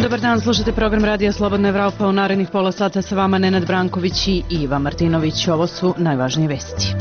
Dobar dan, slušate program Radija Slobodna Evropa. U narednih pola sata sa vama Nenad Branković i Iva Martinović. Ovo su najvažnije vesti.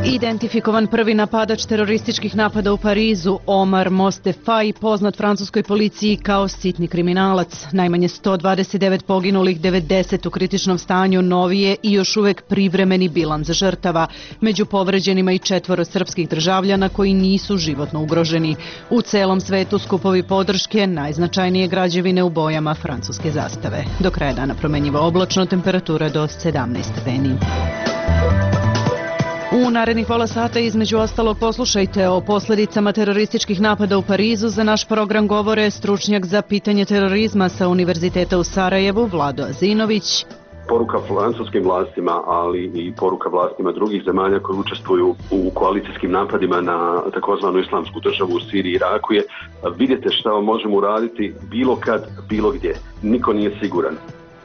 Identifikovan prvi napadač terorističkih napada u Parizu, Omar Mostefai, poznat francuskoj policiji kao sitni kriminalac. Najmanje 129 poginulih, 90 u kritičnom stanju, novije i još uvek privremeni bilans žrtava. Među povređenima i 4 srpskih državljana koji nisu životno ugroženi. U celom svetu skupovi podrške, najznačajnije građevine u bojama francuske zastave. Do kraja dana promenjivo oblačno, temperatura do 17 stepeni. U narednih pola sata između ostalog poslušajte o posledicama terorističkih napada u Parizu. Za naš program govore stručnjak za pitanje terorizma sa Univerziteta u Sarajevu, Vlado Azinović. Poruka francuskim vlastima, ali i poruka vlastima drugih zemalja koji učestvuju u koalicijskim napadima na takozvanu islamsku državu u Siriji i Iraku je: vidite šta možemo uraditi bilo kad, bilo gdje. Niko nije siguran.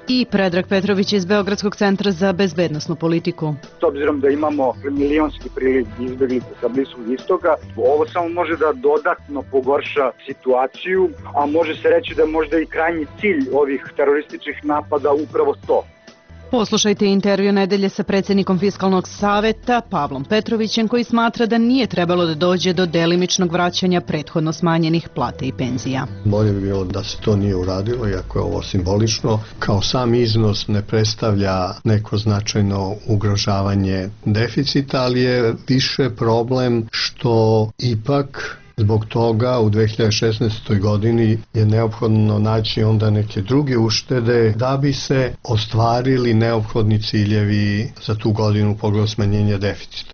I Predrag Petrović iz Beogradskog centra za bezbednosnu politiku. S obzirom da imamo milionski priliv izbeglica sa Bliskog istoka, ovo samo može da dodatno pogorša situaciju, a može se reći da možda i krajnji cilj ovih terorističkih napada upravo to. Poslušajte intervju nedelje sa predsjednikom Fiskalnog saveta Pavlom Petrovićem, koji smatra da nije trebalo da dođe do delimičnog vraćanja prethodno smanjenih plata i penzija. Bolje bi bilo da se to nije uradilo, iako je ovo simbolično. Kao sam iznos ne predstavlja neko značajno ugrožavanje deficita, ali je više problem što ipak zbog toga u 2016. godini je neophodno naći onda neke druge uštede da bi se ostvarili neophodni ciljevi za tu godinu u pogledu smanjenja deficita.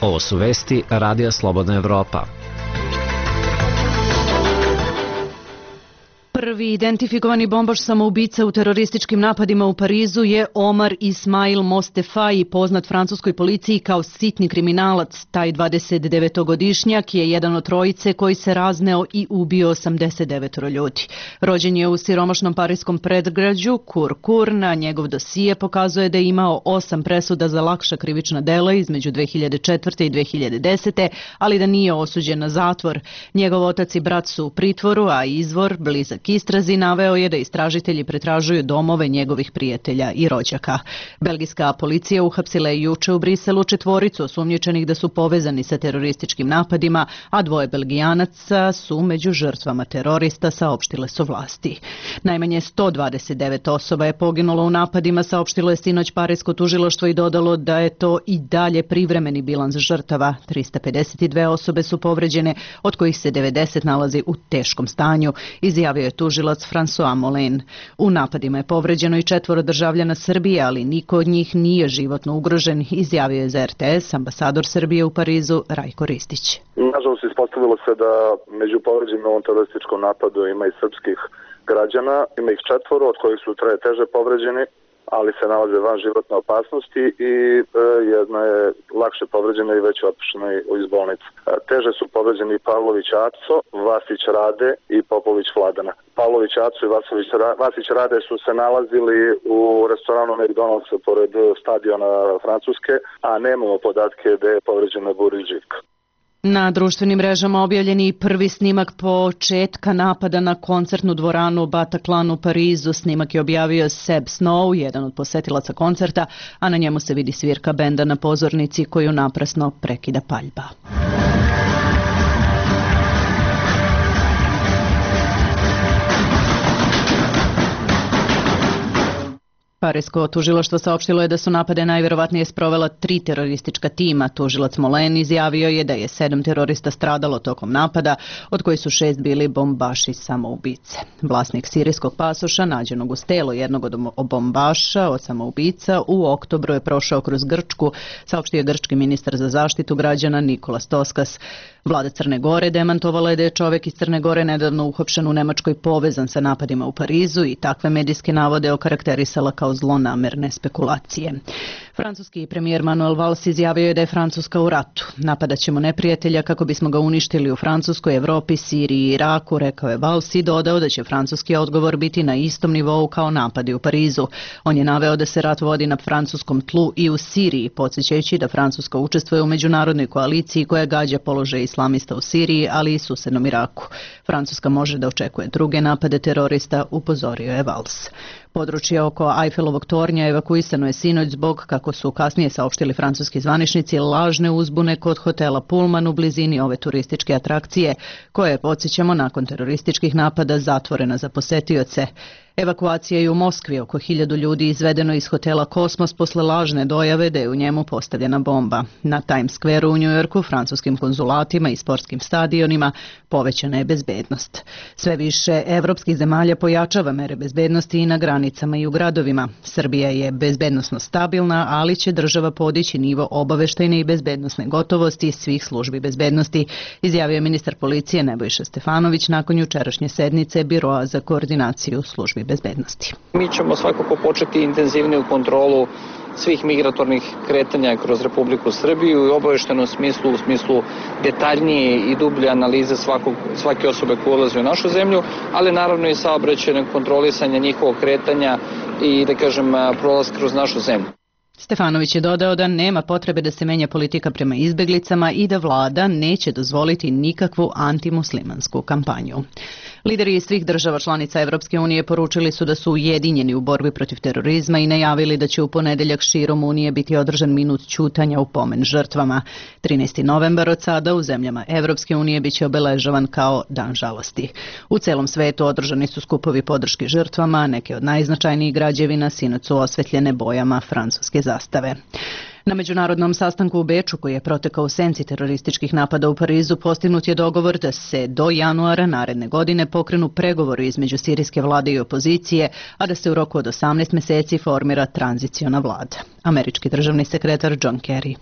Ovo su vesti Radija Slobodna Evropa. Prvi identifikovani bombaš samoubica u terorističkim napadima u Parizu je Omar Ismail Mostefai, poznat francuskoj policiji kao sitni kriminalac. Taj 29-godišnjak je jedan od trojice koji se razneo i ubio 89 ljudi. Rođen je u siromašnom pariskom predgrađu Kur. Na njegov dosije pokazuje da je imao 8 presuda za lakša krivična dela između 2004. i 2010. ali da nije osuđen na zatvor. Njegov otac i brat su u pritvoru, a izvor, blizak istrazi, naveo je da istražitelji pretražuju domove njegovih prijatelja i rođaka. Belgijska policija uhapsila je juče u Briselu 4 osumnjičenih da su povezani sa terorističkim napadima, a 2 Belgijanaca su među žrtvama terorista, saopštile su vlasti. Najmanje 129 osoba je poginulo u napadima, saopštilo je sinoć parisko tužilaštvo i dodalo da je to i dalje privremeni bilans žrtava. 352 osobe su povređene, od kojih se 90 nalazi u teškom stanju, izjavio je tužilac François Molin. U napadima je povređeno i 4 državljana Srbije, ali niko od njih nije životno ugrožen, izjavio je za RTS ambasador Srbije u Parizu Rajko Ristić. Nažalost, ispostavilo se da među povređenim u ovom terorističkom napadu ima i srpskih građana, ima ih 4, od kojih su 3 teže povređeni, ali se nalaze van životne opasnosti i jedna je lakše povređena i već otpuštena iz bolnice. Teže su povređeni Pavlović Aco, Vasić Rade i Popović Vladana. Pavlović Aco i Vasić Rade su se nalazili u restoranu McDonald'sa pored stadiona Francuske, a nemamo podatke da je povređena Burić Živka. Na društvenim mrežama objavljen je i prvi snimak početka napada na koncertnu dvoranu Bataclan u Parizu. Snimak je objavio Seb Snow, jedan od posetilaca koncerta, a na njemu se vidi svirka benda na pozornici koju naprasno prekida paljba. Parisko tužilaštvo saopštilo je da su napade najverovatnije sprovela 3 teroristička tima. Tužilac Molen izjavio je da je 7 terorista stradalo tokom napada, od koji su 6 bili bombaši samoubice. Vlasnik sirijskog pasoša, nađenog uz telo jednog od bombaša od samoubica, u oktobru je prošao kroz Grčku, saopštio je grčki ministar za zaštitu građana Nikolas Toskas. Vlada Crne Gore demantovala je da je čovjek iz Crne Gore nedavno uhapšen u Nemačkoj povezan sa napadima u Parizu i takve medijske navode okarakterisala kao zlonamerne spekulacije. Francuski premijer Manuel Valls izjavio je da je Francuska u ratu. Napadat ćemo neprijatelja kako bismo ga uništili u Francuskoj, Evropi, Siriji i Iraku, rekao je Valls i dodao da će francuski odgovor biti na istom nivou kao napadi u Parizu. On je naveo da se rat vodi na francuskom tlu i u Siriji, podsjećajući da Francuska učestvuje u međunarodnoj koaliciji koja gađa položaj islamista u Siriji, ali i susednom Iraku. Francuska može da očekuje druge napade terorista, upozorio je Valls. Područje oko Eiffelovog tornja evakuisano je sinoć zbog, kako su kasnije saopštili francuski zvaničnici, lažne uzbune kod hotela Pullman u blizini ove turističke atrakcije, koja je, podsjećamo, nakon terorističkih napada zatvorena za posetioce. Evakuacija je u Moskvi, oko 1000 ljudi izvedeno iz hotela Kosmos posle lažne dojave da je u njemu postavljena bomba. Na Times Square u Njujorku, francuskim konzulatima i sportskim stadionima povećana je bezbednost. Sve više evropskih zemalja pojačava mere bezbednosti i na granicama i u gradovima. Srbija je bezbednosno stabilna, ali će država podići nivo obaveštajne i bezbednosne gotovosti svih službi bezbednosti, izjavio je ministar policije Nebojša Stefanović nakon jučerašnje sednice Biroa za koordinaciju službi bezbednosti. Mi ćemo svakako početi intenzivniju kontrolu svih migratornih kretanja kroz Republiku Srbiju i obaveštenom smislu, u smislu detaljnije i dublje analize svake osobe koja ulazi u našu zemlju, ali naravno i saobraćajnog kontrolisanja njihovog kretanja i, da kažem, prolaz kroz našu zemlju. Stefanović je dodao da nema potrebe da se menja politika prema izbeglicama i da vlada neće dozvoliti nikakvu antimuslimansku kampanju. Lideri iz svih država članica Evropske unije poručili su da su ujedinjeni u borbi protiv terorizma i najavili da će u ponedeljak širom Unije biti održan minut ćutanja u pomen žrtvama. 13. novembar od sada u zemljama Evropske unije biće obeležavan kao Dan žalosti. U celom svetu održani su skupovi podrške žrtvama, neke od najznačajnijih građevina sinoć su osvetljene bojama francuske zastave. Na međunarodnom sastanku u Beču, koji je protekao u senci terorističkih napada u Parizu, postignut je dogovor da se do januara naredne godine pokrenu pregovori između sirijske vlade i opozicije, a da se u roku od 18 meseci formira tranziciona vlada. Američki državni sekretar John Kerry.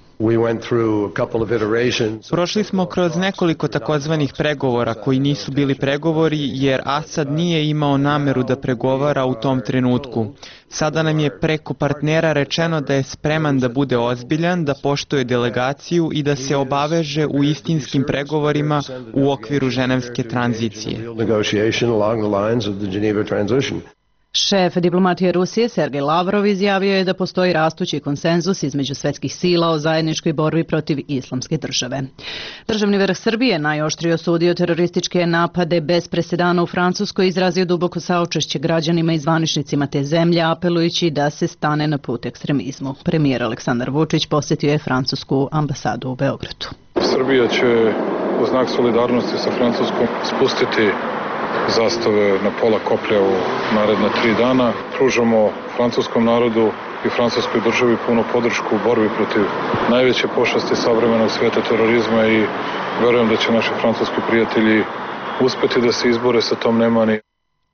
Prošli smo kroz nekoliko takozvanih pregovora koji nisu bili pregovori jer Asad nije imao nameru da pregovara u tom trenutku. Sada nam je preko partnera rečeno da je spreman da bude ozbiljan, da poštuje delegaciju i da se obaveže u istinskim pregovorima u okviru ženevske tranzicije. Šef diplomatije Rusije Sergej Lavrov izjavio je da postoji rastući konsenzus između svetskih sila o zajedničkoj borbi protiv islamske države. Državni vrh Srbije najoštrije osudio terorističke napade bez presedana u Francuskoj i izrazio duboko saučešće građanima i zvaničnicima te zemlje, apelujući da se stane na put ekstremizmu. Premijer Aleksandar Vučić posjetio je francusku ambasadu u Beogradu. Srbija će u znak solidarnosti sa Francuskom spustiti zastave na pola koplja u naredna 3 dana. Pružamo francuskom narodu i francuskoj državi punu podršku u borbi protiv najveće pošasti savremenog sveta, terorizma, i verujem da će naši francuski prijatelji uspeti da se izbore sa tom nemani.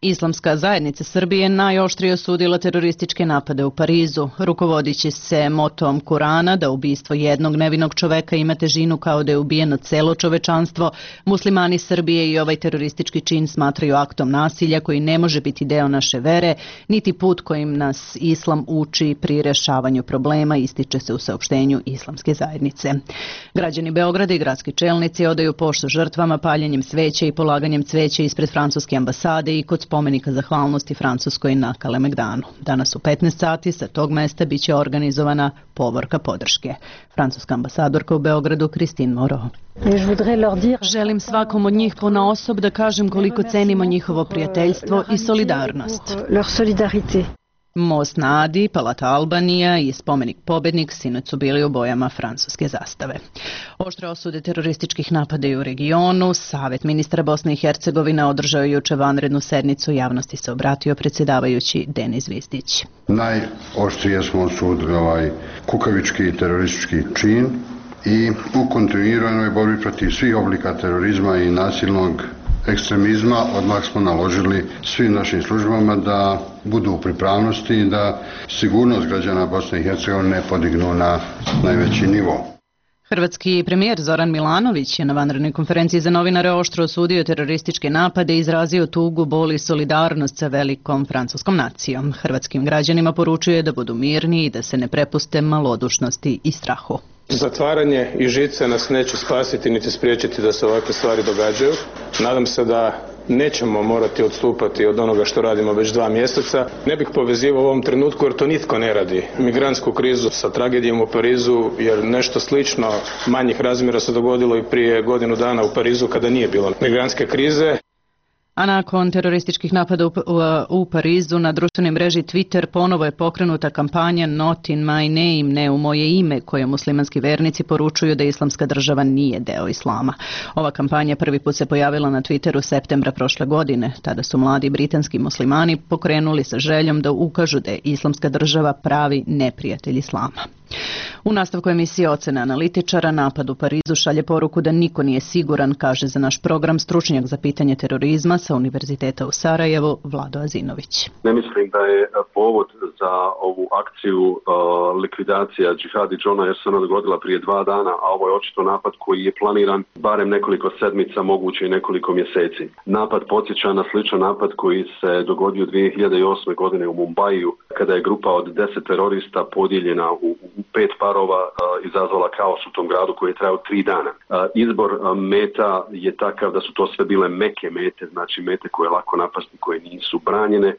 Islamska zajednica Srbije najoštrije osudila terorističke napade u Parizu, rukovodići se motom Kurana da ubistvo jednog nevinog čoveka ima težinu kao da je ubijeno celo čovečanstvo. Muslimani Srbije i ovaj teroristički čin smatraju aktom nasilja koji ne može biti deo naše vere, niti put kojim nas Islam uči pri rešavanju problema, ističe se u saopštenju Islamske zajednice. Građani Beograda i gradski čelnici odaju poštu žrtvama paljenjem sveća i polaganjem cveća ispred francuske ambasade i kod spomenika zahvalnosti Francuskoj na Kalemegdanu. Danas u 15 sati sa tog mesta biće organizovana povorka podrške. Francuska ambasadorka u Beogradu Christine Moreau. Želim svakom od njih ponaosob da kažem koliko cenimo njihovo prijateljstvo i solidarnost. Most na Adi, Palata Albanija i spomenik Pobednik sinoć su bili u bojama francuske zastave. Oštre osude terorističkih napada i u regionu. Savet ministra Bosne i Hercegovine održao je juče vanrednu sednicu, javnosti se obratio predsjedavajući Denis Zvizdić. Najoštrije smo osudili ovaj kukavički teroristički čin i u kontinuiranoj borbi protiv svih oblika terorizma i nasilnog ekstremizma odmah smo naložili svim našim službama da budu u pripravnosti i da sigurnost građana Bosne i Hercegovine podignu na najveći nivo. Hrvatski premijer Zoran Milanović je na vanrednoj konferenciji za novinare oštro osudio terorističke napade i izrazio tugu, bol i solidarnost sa velikom francuskom nacijom. Hrvatskim građanima poručuje da budu mirni i da se ne prepuste malodušnosti i strahu. Zatvaranje i žice nas neće spasiti niti spriječiti da se ovakve stvari događaju. Nadam se da nećemo morati odstupati od onoga što radimo već 2 mjeseca. Ne bih povezivao u ovom trenutku jer to nitko ne radi. Migrantsku krizu sa tragedijom u Parizu, jer nešto slično manjih razmjera se dogodilo i prije godinu dana u Parizu kada nije bilo migrantske krize. A nakon terorističkih napada u Parizu na društvenoj mreži Twitter ponovo je pokrenuta kampanja Not in my name, ne u moje ime, koje muslimanski vernici poručuju da Islamska država nije deo islama. Ova kampanja prvi put se pojavila na Twitteru septembra prošle godine. Tada su mladi britanski muslimani pokrenuli sa željom da ukažu da je Islamska država pravi neprijatelj islama. U nastavku emisije Ocene analitičara, napad u Parizu šalje poruku da niko nije siguran, kaže za naš program stručnjak za pitanje terorizma sa Univerziteta u Sarajevu, Vlado Azinović. Ne mislim da je povod za ovu akciju likvidacija Džihadi Džona, jer se ona dogodila prije 2 dana, a ovo je očito napad koji je planiran barem nekoliko sedmica, moguće i nekoliko mjeseci. Napad podsjeća na sličan napad koji se dogodio 2008. godine u Mumbaiju, kada je grupa od 10 terorista podijeljena u 5 parova izazvala kaos u tom gradu koji je trajao 3 dana. Izbor meta je takav da su to sve bile meke mete, znači mete koje je lako napasti, koje nisu branjene.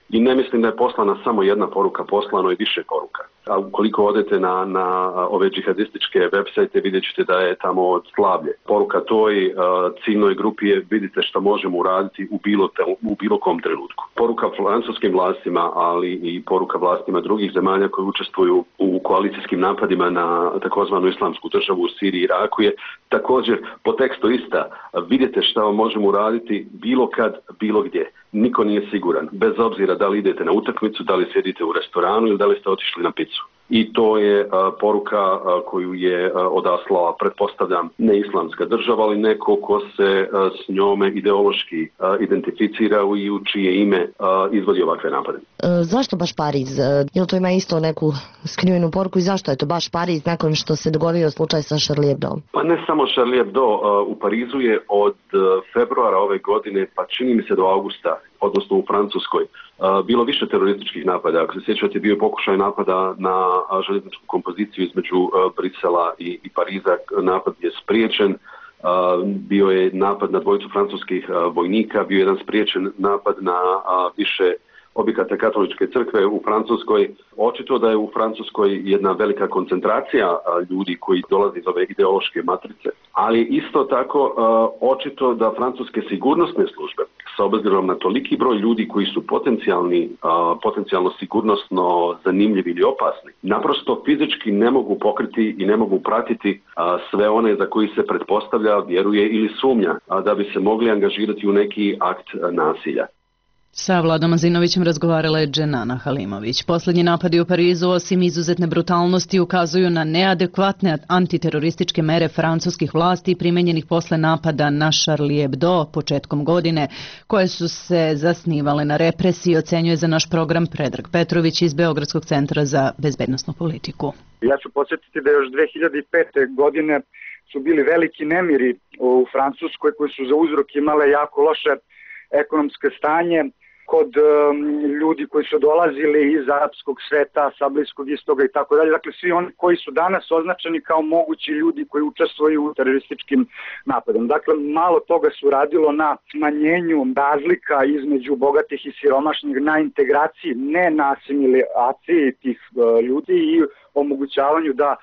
I ne mislim da je poslana samo jedna poruka, poslano je više poruka. A ukoliko odete na ove džihadističke websajte, vidjet ćete da je tamo od slavlje. Poruka toj ciljnoj grupi je: vidite što možemo uraditi u bilo kom trenutku. Poruka francuskim vlastima, ali i poruka vlastima drugih zemalja koji učestvuju u koalicijskim napadima na takozvanu islamsku državu u Siriji i Iraku je također po tekstu ista: vidite što možemo uraditi bilo kad, bilo gdje. Niko nije siguran, bez obzira da li idete na utakmicu, da li sjedite u restoranu ili da li ste otišli na picu. I to je poruka koju je odaslala, pretpostavljam, ne islamska država, ali neko ko se s njome ideološki identificira i u čije ime izvodi ovakve napade. Zašto baš Pariz? Jel to ima isto neku skrivenu poruku i zašto je to baš Pariz nakon što se dogodio slučaj sa Charlie Hebdo? Pa ne samo Charlie Hebdo, u Parizu je od februara ove godine, pa čini mi se do augusta, odnosno u Francuskoj, bilo više terorističkih napada. Ako se sjećate, bio je pokušaj napada na željezničku kompoziciju između Brisela i Pariza. Napad je spriječen. Bio je napad na 2 francuskih vojnika, bio je jedan spriječen napad na više objekata katoličke crkve u Francuskoj. Očito da je u Francuskoj jedna velika koncentracija ljudi koji dolaze iz ove ideološke matrice, ali isto tako očito da francuske sigurnosne službe, s obzirom na toliki broj ljudi koji su potencijalno sigurnosno zanimljivi ili opasni, naprosto fizički ne mogu pokriti i ne mogu pratiti sve one za koji se pretpostavlja, vjeruje ili sumnja da bi se mogli angažirati u neki akt nasilja. Sa Vladom Azinovićem razgovarala je Dženana Halimović. Posljednji napadi u Parizu, osim izuzetne brutalnosti, ukazuju na neadekvatne antiterorističke mere francuskih vlasti primenjenih posle napada na Charlie Hebdo početkom godine, koje su se zasnivale na represiji, ocenjuje za naš program Predrag Petrović iz Beogradskog centra za bezbednosnu politiku. Ja ću podsjetiti da još 2005. godine su bili veliki nemiri u Francuskoj koji su za uzrok imale jako loše ekonomske stanje kod ljudi koji su dolazili iz arapskog sveta, sa Bliskog istoga i tako dalje. Dakle, svi oni koji su danas označeni kao mogući ljudi koji učestvuju u terorističkim napadom. Dakle, malo toga su radilo na smanjenju razlika između bogatih i siromašnih, na integraciji, ne na asimilaciji tih ljudi i omogućavanju da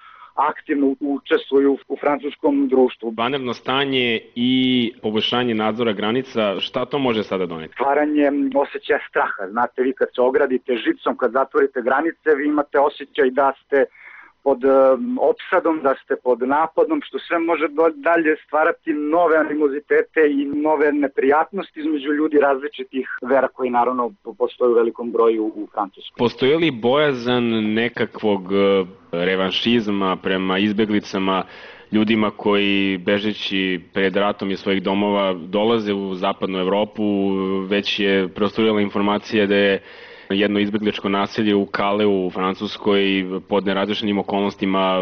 aktivno učestvuju u francuskom društvu. Vanredno stanje i poboljšanje nadzora granica, šta to može sada doneti? Stvaranje osjećaja straha. Znate, vi kad se ogradite žicom, kad zatvorite granice, vi imate osjećaj da ste pod opsadom, da ste pod napadom, što sve može dalje stvarati nove animozitete i nove neprijatnosti između ljudi različitih vera koji naravno postoje u velikom broju u Francuskoj. Postoji li bojazan nekakvog revanšizma prema izbeglicama, ljudima koji bežeći pred ratom iz svojih domova dolaze u zapadnu Evropu? Već je prosturirala informacija da je jedno izbegličko naselje u Kaleu u Francuskoj pod nerazrešenim okolnostima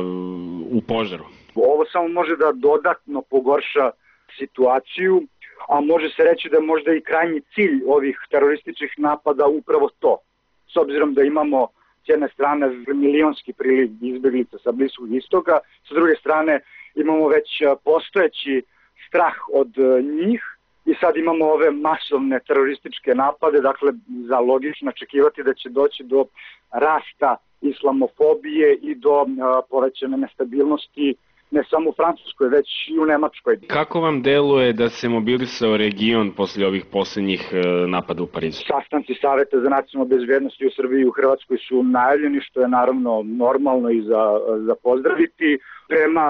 u požaru. Ovo samo može da dodatno pogorša situaciju, a može se reći da je možda i krajnji cilj ovih terorističkih napada upravo to. S obzirom da imamo s jedne strane milionski priliv izbeglica sa Bliskog istoka, s druge strane imamo već postojeći strah od njih i sad imamo ove masovne terorističke napade, dakle za logično očekivati da će doći do rasta islamofobije i do povećane nestabilnosti ne samo u Francuskoj, već i u Nemačkoj. Kako vam deluje da se mobilisao region posle ovih poslednjih napada u Parizu? Sastanci Saveta za nacionalnu bezbednost u Srbiji i u Hrvatskoj su najavljeni, što je naravno normalno i za pozdraviti. Prema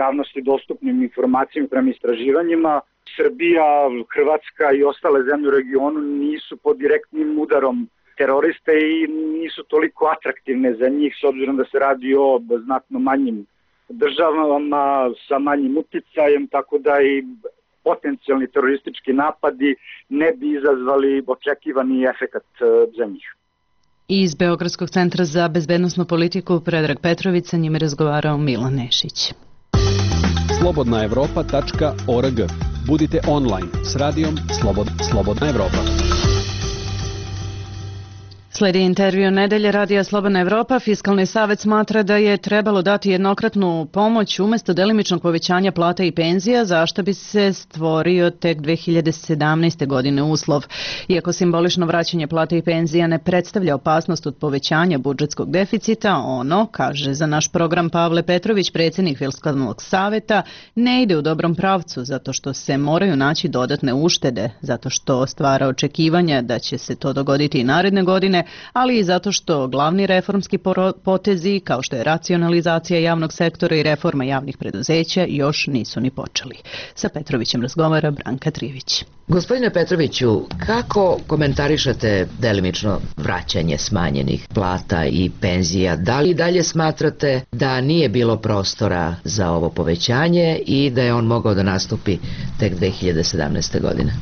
javnosti dostupnim informacijama, prema istraživanjima, Srbija, Hrvatska i ostale zemlje u regionu nisu pod direktnim udarom teroriste i nisu toliko atraktivne za njih, s obzirom da se radi o znatno manjim državama sa manjim uticajem, tako da i potencijalni teroristički napadi ne bi izazvali očekivani efekat za njih. Iz Beogradskog centra za bezbednosnu politiku Predrag Petrović, sa njime razgovarao Milan Nešić. slobodnaevropa.org. Budite online s radijom Slobodna Evropa. Sledi intervju nedelje radija Slobodna Evropa. Fiskalni savet smatra da je trebalo dati jednokratnu pomoć umjesto delimičnog povećanja plata i penzija, za što bi se stvorio tek 2017. godine uslov. Iako simbolično vraćanje plata i penzija ne predstavlja opasnost od povećanja budžetskog deficita, ono, kaže za naš program Pavle Petrović, predsjednik Fiskalnog saveta, ne ide u dobrom pravcu zato što se moraju naći dodatne uštede, zato što stvara očekivanja da će se to dogoditi i naredne godine, ali i zato što glavni reformski potezi, kao što je racionalizacija javnog sektora i reforma javnih preduzeća, još nisu ni počeli. Sa Petrovićem razgovara Branka Trivić. Gospodine Petroviću, kako komentarišete delimično vraćanje smanjenih plata i penzija? Da li dalje smatrate da nije bilo prostora za ovo povećanje i da je on mogao da nastupi tek 2017. godine?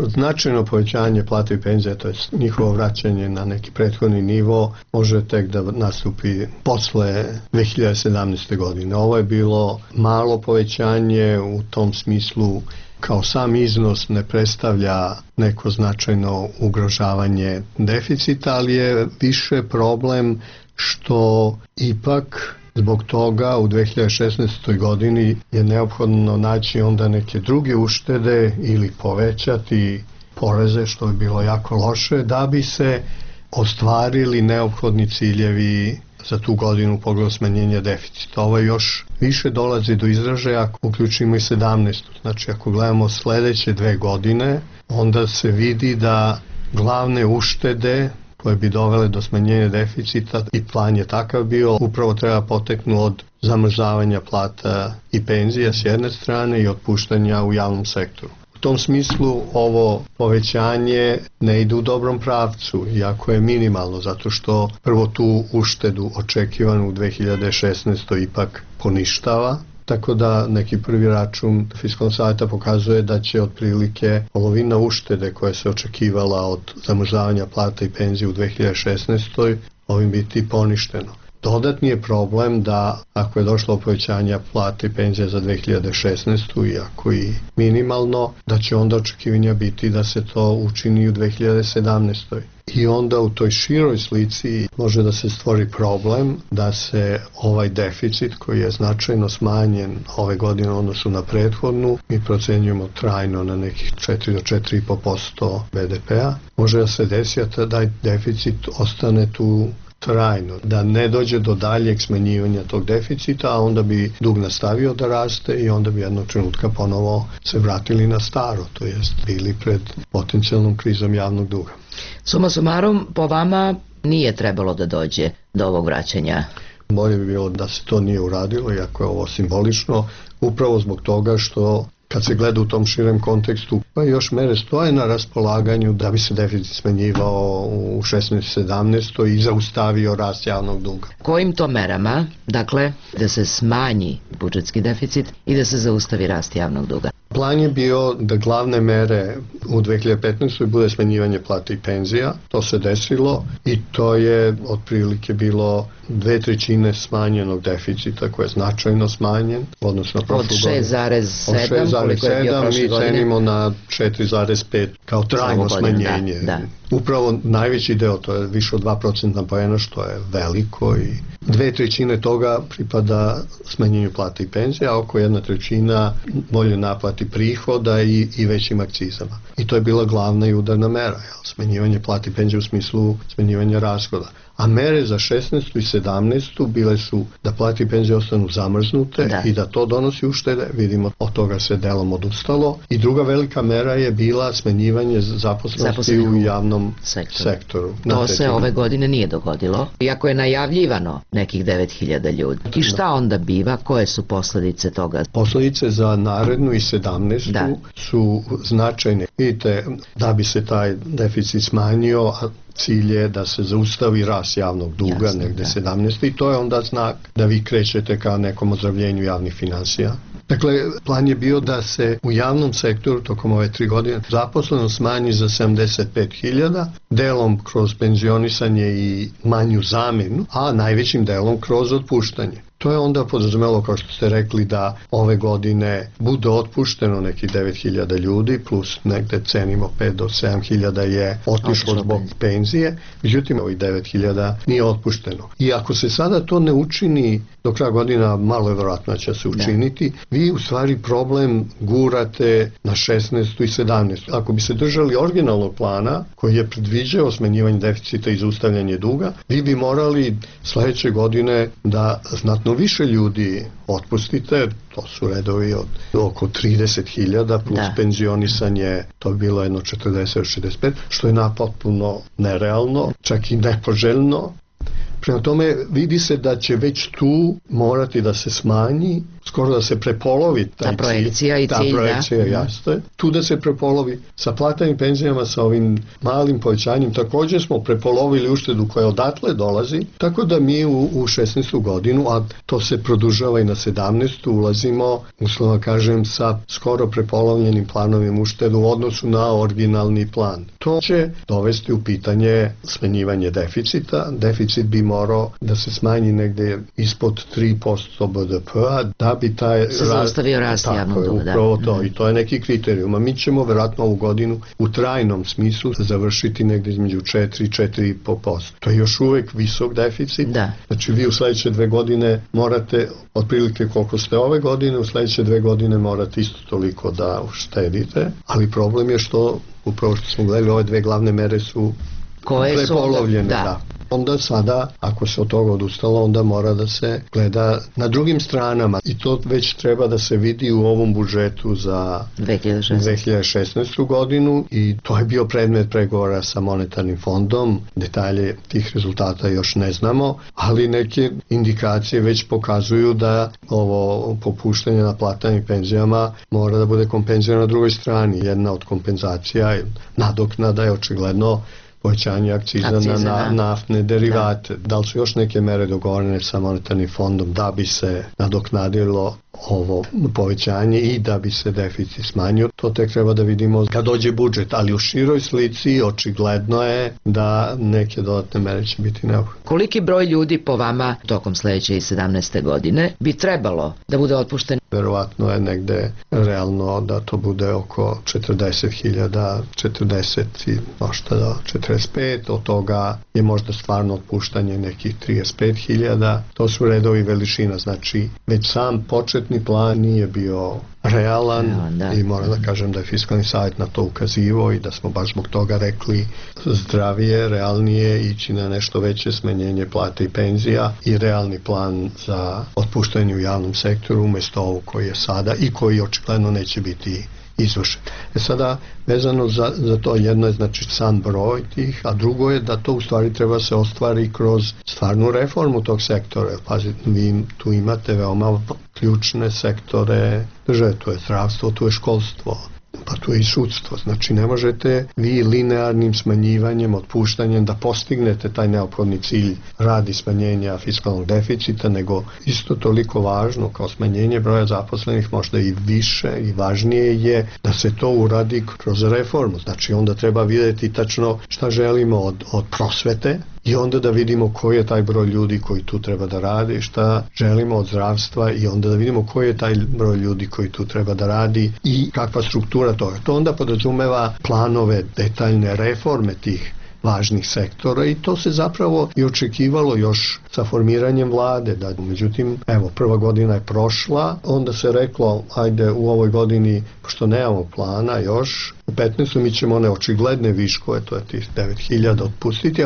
Značajno povećanje plata i penzija, to je njihovo vraćanje na neki prethodni nivo, može tek da nastupi posle 2017. godine. Ovo je bilo malo povećanje, u tom smislu kao sam iznos ne predstavlja neko značajno ugrožavanje deficita, ali je više problem što ipak zbog toga u 2016. godini je neophodno naći onda neke druge uštede ili povećati poreze, što je bilo jako loše, da bi se ostvarili neophodni ciljevi za tu godinu u pogledu smanjenja deficita. Ovo još više dolazi do izražaja ako uključimo i 17. Znači ako gledamo sledeće 2 godine, onda se vidi da glavne uštede koje bi dovele do smanjenja deficita, i plan je takav bio, upravo treba poteknu od zamrzavanja plata i penzija s jedne strane i otpuštanja u javnom sektoru. U tom smislu ovo povećanje ne ide u dobrom pravcu, iako je minimalno, zato što prvo tu uštedu očekivanu u 2016. ipak poništava, tako da neki prvi račun Fiskalnog saveta pokazuje da će otprilike polovina uštede koja se očekivala od zamrzavanja plata i penzije u 2016. ovim biti poništeno. Dodatni je problem da ako je došlo povećanja plata i penzija za 2016. iako i minimalno, da će onda očekivanja biti da se to učini u 2017. I onda u toj široj slici može da se stvori problem da se ovaj deficit koji je značajno smanjen ove godine u odnosu na prethodnu, mi procenjujemo trajno na nekih 4 do 4,5% BDP-a, može da se desi da taj deficit ostane tu trajno, da ne dođe do daljeg smanjivanja tog deficita, a onda bi dug nastavio da raste i onda bi jednog trenutka ponovo se vratili na staro, to jest bili pred potencijalnom krizom javnog duga. Suma sumarum, po vama nije trebalo da dođe do ovog vraćanja? Bolje bi bilo da se to nije uradilo, iako je ovo simbolično, upravo zbog toga što kad se gleda u tom širem kontekstu, pa još mere stoje na raspolaganju da bi se deficit smanjivao u 16-17 i zaustavio rast javnog duga. Kojim to merama, dakle, da se smanji budžetski deficit i da se zaustavi rast javnog duga? Plan je bio da glavne mere u 2015. bude smanjivanje plata i penzija. To se desilo i to je otprilike bilo 2/3 smanjenog deficita koji je značajno smanjen odnosno prošlu godinu. Od 6,7 mi cenimo na 4,5 kao trajno smanjenje. Da. Upravo najveći deo, to je više od 2% poena, što je veliko, i 2/3 toga pripada smanjenju plata i penzija, a oko 1/3 bolje naplati prihoda i većim akcizama. I to je bila glavna i udarna mera, smanjivanje plata i penzija u smislu smanjivanja rashoda. A mere za 16. i 17. bile su da plate i penzije ostanu zamrznute i da to donosi uštede. Vidimo, od toga se delom odustalo. I druga velika mera je bila smanjivanje zaposlenosti u javnom sektoru. To se ove godine nije dogodilo, iako je najavljivano nekih 9.000 ljudi. I šta onda biva? Koje su posledice toga? Posledice za narednu i 17. su značajne. Vidite, da bi se taj deficit smanjio, a cilj je da se zaustavi rast javnog duga negde 17. i to je onda znak da vi krećete ka nekom ozdravljenju javnih finansija. Dakle, plan je bio da se u javnom sektoru tokom ove 3 godine zaposleno smanji za 75.000, delom kroz penzionisanje i manju zamenu, a najvećim delom kroz otpuštanje. To je onda podrazumelo, kao što ste rekli, da ove godine bude otpušteno nekih 9.000 ljudi, plus negde cenimo 5 do 7.000 je otišlo zbog penzije, međutim ovih 9.000 nije otpušteno. I ako se sada to ne učini do kraja godina, malo je vjerojatno će se učiniti, vi u stvari problem gurate na 16. i 17. Ako bi se držali originalnog plana koji je predviđao smanjivanje deficita i zaustavljanje duga, vi bi morali sledeće godine da znatno više ljudi otpustite, to su redovi od oko 30.000 plus penzionisanje, to je bilo jedno 40-65, što je napotpuno nerealno, čak i nepoželjno. Prema tome vidi se da će već tu morati da se smanji, skoro da se prepolovi ta projekcija i cilj. Ta projekcija, jasno. Tu da se prepolovi sa platama i penzijama, sa ovim malim povećanjem, također smo prepolovili uštedu koja odatle dolazi, tako da mi u 16. godinu, a to se produžava i na 17. ulazimo, uslovno kažem, sa skoro prepolovljenim planovim uštedu u odnosu na originalni plan. To će dovesti u pitanje smanjivanje deficita. Deficit bi morao da se smanji negde ispod 3% BDP-a, da bi taj se zaustavio rast javnog duga. Upravo to, i to je neki kriterijum. A mi ćemo verovatno ovu godinu u trajnom smislu završiti negde između 4 i 4,5%. To je još uvek visok deficit. Znači vi u sledeće 2 godine morate, otprilike koliko ste ove godine, u sledeće 2 godine morate isto toliko da uštedite, ali problem je što, upravo što smo gledali, ove 2 glavne mere su prepolovljene. Onda sada, ako se od toga odustalo, onda mora da se gleda na drugim stranama i to već treba da se vidi u ovom budžetu za 2016. godinu i to je bio predmet pregovora sa monetarnim fondom. Detalje tih rezultata još ne znamo, ali neke indikacije već pokazuju da ovo popuštanje na platama i penzijama mora da bude kompenzirano na drugoj strani. Jedna od kompenzacija, nadoknada je očigledno povećanje akciza na naftne derivate. Da li su još neke mere dogovorene sa monetarnim fondom da bi se nadoknadilo ovo povećanje i da bi se deficit smanjio? To tek treba da vidimo kad dođe budžet, ali u široj slici očigledno je da neke dodatne mere će biti neophodne. Koliki broj ljudi po vama tokom sledeće i 17. godine bi trebalo da bude otpušten? Verovatno je negde realno da to bude oko 40.000, 40 i možda do 45, od toga je možda stvarno otpuštanje nekih 35.000. To su redovi veličina, znači već sam početni plan nije bio realan i moram da kažem da je Fiskalni savjet na to ukazivao i da smo baš zbog toga rekli zdravije, realnije ići na nešto veće smanjenje plata i penzija i realni plan za otpuštanje u javnom sektoru umesto ovog koji je sada i koji očigledno neće biti izvršen. Sada, vezano za to, jedno je znači sam broj tih, a drugo je da to u stvari treba se ostvari kroz stvarnu reformu tog sektora. Pazite, vi tu imate veoma ključne sektore države, tu je zdravstvo, tu je školstvo, Pa tu je i sudstvo. Znači ne možete vi linearnim smanjivanjem, otpuštanjem da postignete taj neophodni cilj radi smanjenja fiskalnog deficita, nego isto toliko važno kao smanjenje broja zaposlenih, možda i više i važnije je da se to uradi kroz reformu. Znači onda treba vidjeti tačno šta želimo od prosvete i onda da vidimo koji je taj broj ljudi koji tu treba da radi, šta želimo od zdravstva i onda da vidimo koji je taj broj ljudi koji tu treba da radi i kakva struktura toga. To onda podrazumeva planove, detaljne reforme tih važnih sektora i to se zapravo i očekivalo još sa formiranjem vlade. Da, međutim, evo, prva godina je prošla, onda se reklo, ajde u ovoj godini, pošto nemamo plana još, u 15. mi ćemo one očigledne viškove, to je tih 9.000 otpustiti,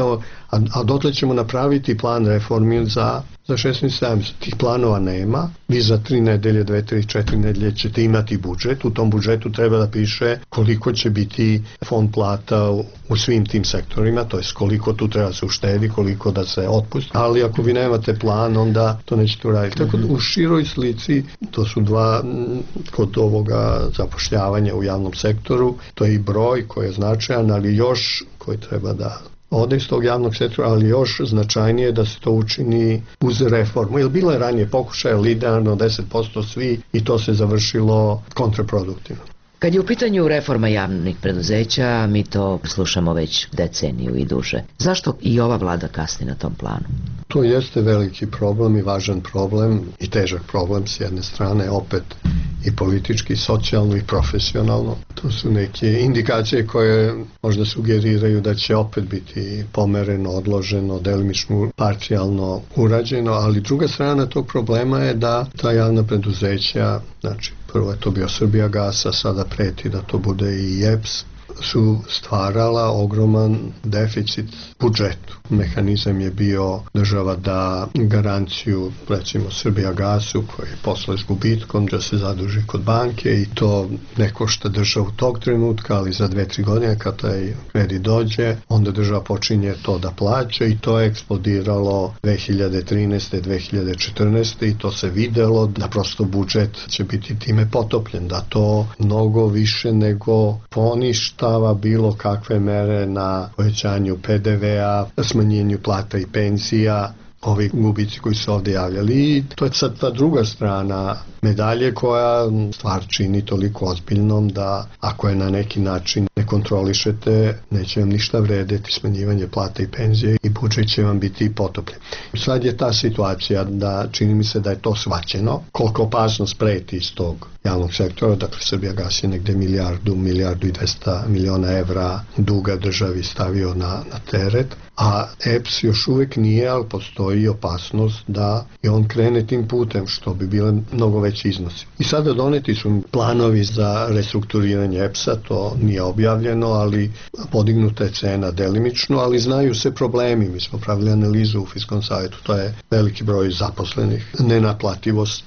a dotle ćemo napraviti plan reformi za 16. Tih planova nema. Vi za 3 nedelje, 2, 3, 4 nedelje ćete imati budžet. U tom budžetu treba da piše koliko će biti fond plata u svim tim sektorima, to je koliko tu treba se uštedi, koliko da se otpusti. Ali ako vi nemate plan, onda to nećete uraditi. Tako da u široj slici, to su dva kod ovoga zapošljavanja u javnom sektoru, to je i broj koji je značajan, ali još koji treba da ode iz tog javnog sektora, ali još značajnije da se to učini uz reformu. Jer bilo je ranije pokušaja linearno 10% svi i to se završilo kontraproduktivno. Kad je u pitanju reforma javnih preduzeća, mi to slušamo već deceniju i duže. Zašto i ova vlada kasni na tom planu? To jeste veliki problem i važan problem i težak problem s jedne strane, opet i politički, i socijalno i profesionalno. To su neke indikacije koje možda sugeriraju da će opet biti pomereno, odloženo, delimično, parcijalno urađeno, ali druga strana tog problema je da ta javna preduzeća, znači prvo je to bio Srbijagas, a sada preti da to bude i EPS, su stvarala ogroman deficit budžetu. Mehanizam je bio država da garanciju, recimo Srbijagasu, koji je posle s gubitkom, da se zaduži kod banke i to ne košta državu tog trenutka, ali za 2-3 godine kad taj kredit dođe, onda država počinje to da plaća i to je eksplodiralo 2013. 2014. i to se videlo da prosto budžet će biti time potopljen, da to mnogo više nego poništa bilo kakve mere na povećanju PDV-a, smanjenju plata i penzija, ovi gubici koji su ovdje javljali. I to je sad ta druga strana medalje koja stvar čini toliko ozbiljnom da ako je na neki način ne kontrolišete, neće vam ništa vredeti smanjivanje plata i penzije i budžet će vam biti potopljen. Sad je ta situacija da čini mi se da je to shvaćeno, koliko opasnost preti iz tog javnog sektora, dakle Srbijagas je negde milijardu i 200 miliona evra duga državi stavio na teret, a EPS još uvek nije, ali postoji opasnost da i on krene tim putem, što bi bile mnogo veći iznosi. I sada doneti su planovi za restrukturiranje EPS-a, to nije objavljeno, ali podignuta je cena delimično, ali znaju se problemi. Mi smo pravili analizu u Fiskalnom savjetu, to je veliki broj zaposlenih, nenaplativost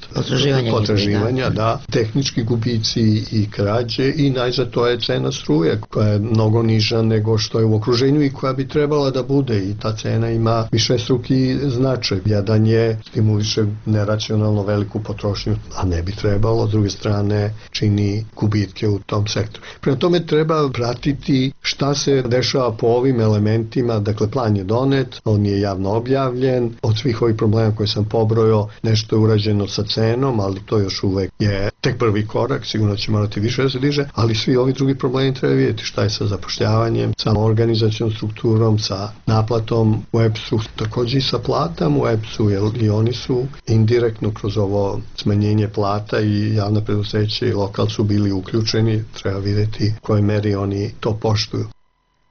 potraživanja, da, tehnički gubici i krađe i najzad to je cena struje koja je mnogo niža nego što je u okruženju i koja bi trebala da bude i ta cena ima višestruki značaj. Jedan je stimuliše neracionalno veliku potrošnju, a ne bi trebalo, s druge strane čini gubitke u tom sektoru. Prema tome treba pratiti šta se dešava po ovim elementima, dakle plan je donet, on je javno objavljen, od svih ovih problema koje sam pobrojao, nešto je urađeno sa cenom, ali to još uvek je tek prvi korak, sigurno će morati više da se diže, ali svi ovi drugi problemi treba vidjeti šta je sa zapošljavanjem, sa organizacijom strukturom, sa naplatom u EPS-u, također i sa platama u EPS-u, jer i oni su indirektno kroz ovo smanjenje plata i javna preduzeća i lokal su bili uključeni, treba vidjeti u kojoj meri oni to poštuju.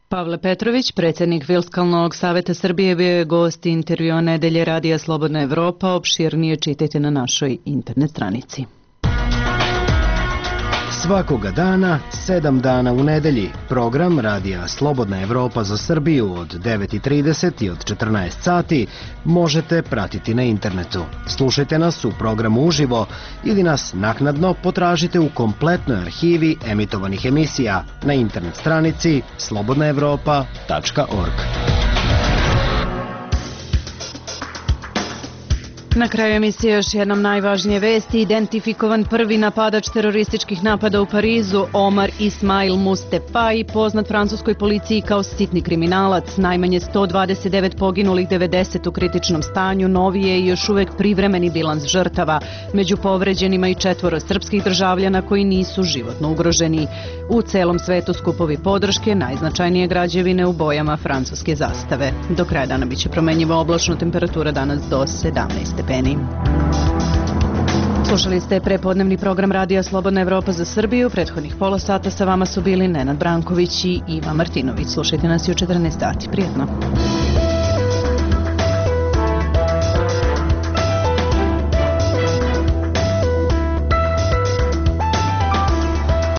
Pavle Petrović, predsjednik Fiskalnog saveta Srbije, bio je gost intervjua Nedelje Radija Slobodna Evropa, opširnije čitajte na našoj internet stranici. Svakoga dana, 7 dana u nedelji, program Radija Slobodna Evropa za Srbiju od 9:30 i od 14 sati možete pratiti na internetu. Slušajte nas u programu uživo ili nas naknadno potražite u kompletnoj arhivi emitovanih emisija na internet stranici slobodnaevropa.org. Na kraju emisije još jednom najvažnije vesti. Identifikovan prvi napadač terorističkih napada u Parizu, Omar Ismail Mustefai, poznat francuskoj policiji kao sitni kriminalac. Najmanje 129 poginulih, 90 u kritičnom stanju, novi je i još uvek privremeni bilans žrtava. Među povređenima i 4 srpskih državljana koji nisu životno ugroženi. U celom svetu skupovi podrške, najznačajnije građevine u bojama francuske zastave. Do kraja dana biće promenjiva oblačno, temperatura danas do 17 stepeni. Slušali ste prepodnevni program Radija Slobodna Evropa za Srbiju. Prethodnih pola sata sa vama su bili Nenad Branković i Iva Martinović. Slušajte nas i u 14 sati. Prijetno.